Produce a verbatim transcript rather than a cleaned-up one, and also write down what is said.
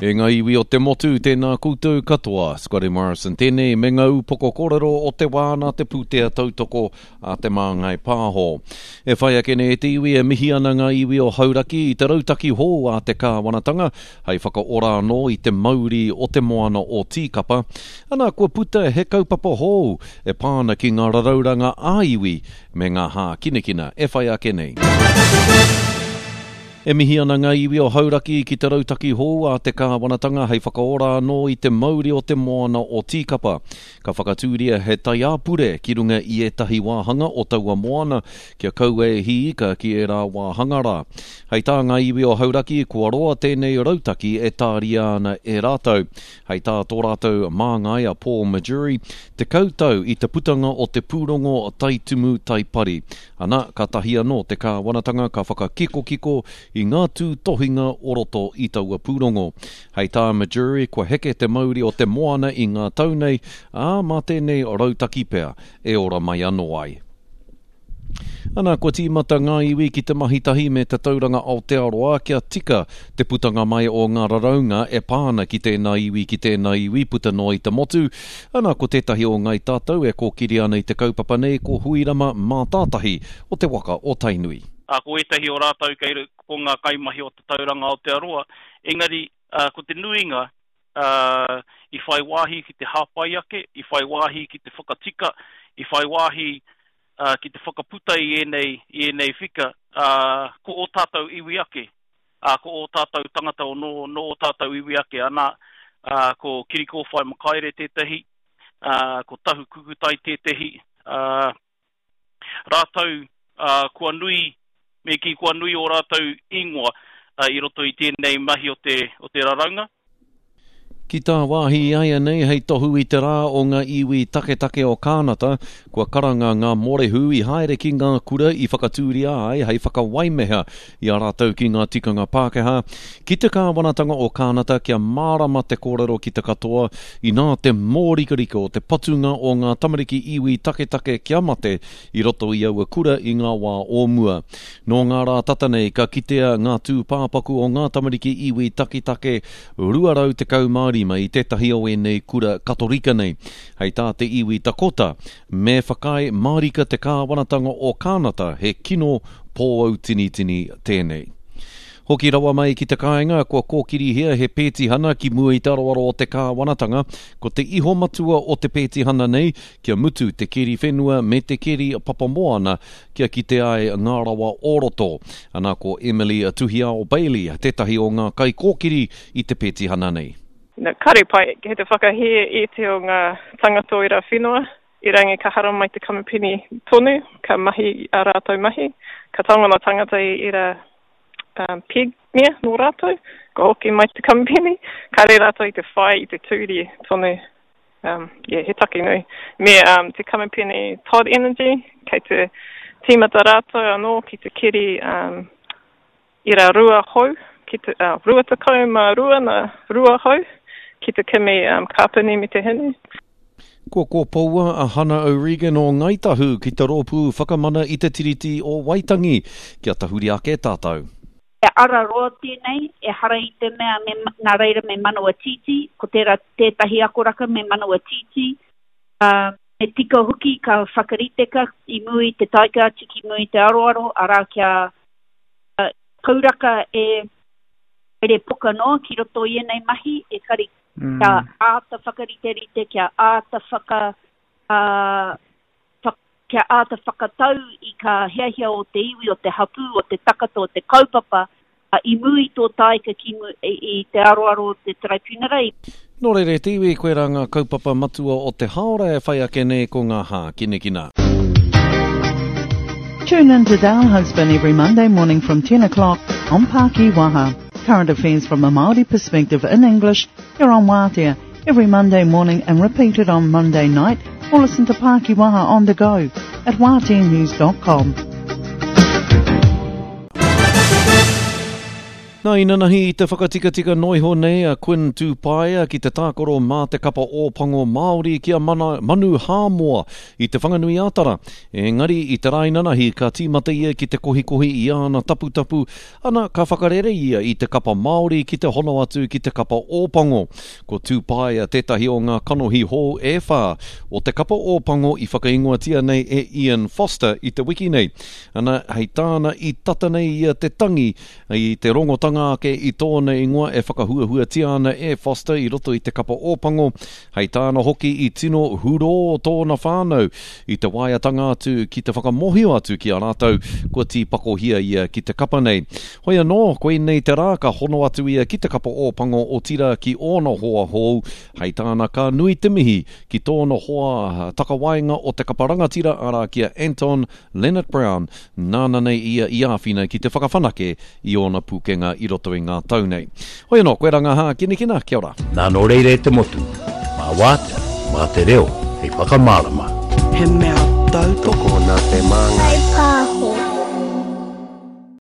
E ngā iwi o te motu, tēnā koutou katoa. Scotty Morrison tēnei me ngā upoko kōrero o te wā nā te pūtea tautoko a Te Māngai Pāho. E whai ake nei e te iwi e mihi ana ngā iwi o Hauraki i te rautaki hou a te kāwanatanga hei whakaora anō i te mauri o te moana o Tīkapa. Ana, kua puta he kaupapa hou e pā ana ki ngā rarauranga ā-iwi me ngā hākinakina e whai ake nei. E mihi ana ngā iwi o Hauraki ki te rautaki hou a te kāwanatanga hei whakaora anō i te mauri o te moana o Tīkapa. Ka whakatūria he taiāpure ki runga i ētahi wāhanga o taua moana kia kaua e hī ika ki ērā wāhanga rā. Hei tā ngā iwi o Hauraki, kua roa tēnei rautaki e tāria ana e rātou. Hei tā tō rātou māngai a Paul Majurey, tekau tau i te putanga o te pūrongo Taitumu Taipari. Ana, kātahi anō te kāwanatanga ka whakakikokiko i ngā tūtohinga o roto i taua pūrongo. Hei tā Majurey, kua heke te mauri o te moana i ngā tau nei, ā, mā tēnei rautaki pea e ora mai anō ai. Ana, kua tīmata ngā iwi ki te mahi tahi me te Tauranga Aotearoa kia tika te putanga mai o ngā raraunga e pā ana ki tēnā iwi ki tēnā iwi puta noa i te motu. Ana, ko tētahi o Ngāi Tātou e kōkiri ana i te kaupapa nei ko Huirama Mātātahi o te waka o Tainui. Ā, ko ētahi o rātou kei ko ngā kaimahi o te Tauranga Aotearoa, engari ā, ko te nuinga ā, i whai wāhi ki te hāpai ake, i whai wāhi ki te whakatika, i whai wāhi ā, ki te whakaputa i ēnei, i ēnei whika, ā, ko ō tātou iwi ake, ā, ko ō tātou tangata o nō, nō ō tātou iwi ake, ana, ā, ko Kirikōwhai Makaere tētahi, ā, ko Tahu Kukutai tētahi, ā, rātou, ā, kua nui, me kī kua nui ō rātou ingoa ā, i roto i tēnei mahi o te, o te raraunga. Ki tā wāhi āianei hei tohu i te rā o ngā iwi taketake o Kānata, kua karanga ngā mōrehu i haere ki ngā kura i whakatūria ai hei whakawaimeha i a rātou ki ngā tikanga Pākehā, ki te kāwanatanga o Kānata kia mārama te kōrero ki te katoa inā te mōrikarika o te patunga o ngā tamariki iwi taketake kia mate i roto i aua kura i ngā wā o mua. Nō ngā rā tata nei ka kitea ngā tūpāpaku o ngā tamariki iwi taketake rua rau tekau mā rima i tētahi o ēnei kura Katorika nei. Hei tā te iwi Dakota, me whakaae mārika te kāwanatanga o Kānata he kino pōautinitini tēnei. Hoki rawa mai ki te kāinga, kua kōkirihia he pētihana ki mua i te aroaro o te kāwanatanga, ko te iho matua o te pētihana nei, kia mutu te keri whenua me te keri papamoana, kia kite ai ngā rawa o roto. Ana ko Emily Tuhiao Bailey, tētahi o ngā kaikōkiri i te pētihana nei. No, kare pai, he te whakahē e te o ngā tangata o era whenua, i rangi ka haramai te kamupene tonu, ka mahi a rātou mahi, ka taunga ngā tangata i era um, peg mea nō rātou, ka hoki mai te kamupene, kare rātou i te whai i te tūri tonu. Um, yeah, he take nui. Me um, te kamupene Todd Energy, kei te tīmata rātou anō ki te keri um, ira rua hou, ki te, uh, rua tekau mā rua na rua hou, ki te kimi um, kāpene me te hinu. Kua kōpoua a Hana O'Regan o Ngāi Tahu ki te rōpū whakamana i te Tiriti o Waitangi. Kia tahuri ake tātou. E ara roa tēnei, e hara i te mea me, nā reira me manawa tītī, ko tērā tētahi akoraka me manawa tītī. Uh, me tika hoki ka whakariteka i mua i te taika atu ki mua i te aroaro, arā kia uh, kauraka e haere poka noa ki roto i ēnei mahi, e kari Mm. kia āta whakariterite, kia āta whaka, uh, wha, kia āta whakatau i ka hiahia o te iwi, o te hapū, o te takata, o te kaupapa, uh, i mua i tō taika ki mu, i, i te aroaro o te tribunal. Nō reira te iwi, koirā ngā kaupapa matua o te haora e whai ake nei ko ngā hākinakina. Tune in to Dale Husband every Monday morning from ten o'clock on Pākiwaha. Current affairs from a Māori perspective in English here on Waatea every Monday morning and repeated on Monday night, or listen to Pākiwaha on the go at waatea news dot com. Nā inanahi i te whakatikatika noiho nei a Quinn Tūpaea ki te tākaro mā te kapa Ōpango Māori ki a mana, Manu Hāmoa i te Whanganui Ātara. Engari i te rā inanahi ka tīmata ia ki te kohikohi i āna taputapu, ana ka whakarere ia i te kapa Māori ki te hono atu ki te kapa Ōpango. Ko Tūpaea tētahi o ngā kanohi hou e whā o te kapa Ōpango i whakaingoatia nei e Ian Foster i te wiki nei. Ana, hei tāna i tata nei ia te tangi i te rongotanga ake i tōna ingoa e whakahuahuatia ana e Foster i roto i te kapa Ōpango. Hei tāna hoki i tino hurō tōna whānau i te waeatanga atu ki te whakamohio atu ki a rātou kua tīpakohia ia ki te kapa nei. Hoi anō, koinei te rā ka hono atu ia ki te kapa Ōpango o tira ki ōna hoa hou. Hei tāna ka nui te mihi ki tōna hoa takawaenga o te kapa rangatira arā ki a Anton Leonard Brown, nāna nei ia i āwhina ki te whakawhanake i ōna pūkenga i roto i ngā tau nei. Hoi anō, koe ranga hākinakina, kia ora. Nā nō reira e te motu, mā wātea, mā te reo, hei whakamārama. He mea tautoko Tokona te māngai. Pāho.